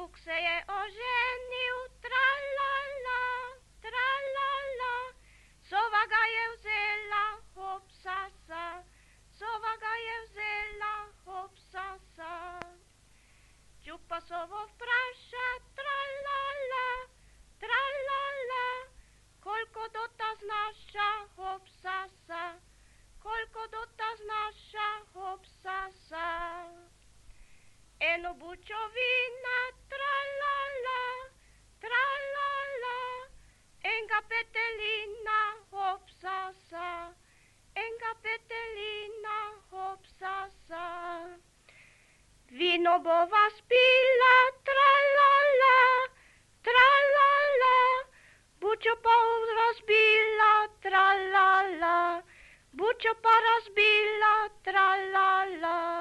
vuk se je oženio, tra-la-la, tra-la-la. Sova ga je vzela, hop, sa, sova ga je vzela, hop, sa. Čupa sovo vpraša, tra-la-la, tra-la-la. Koliko dota znaša, hop, sa, koliko dota znaša, hop, sa. Eno bučovina, tra-la-la, tra-la-la. Enga petelina, hop, sa, enga petelina, hop, sa. Vino bova spila, tra-la-la, tra-la-la. Bučo pa razbila, tra-la-la, bučo pa razbila, tra-la-la.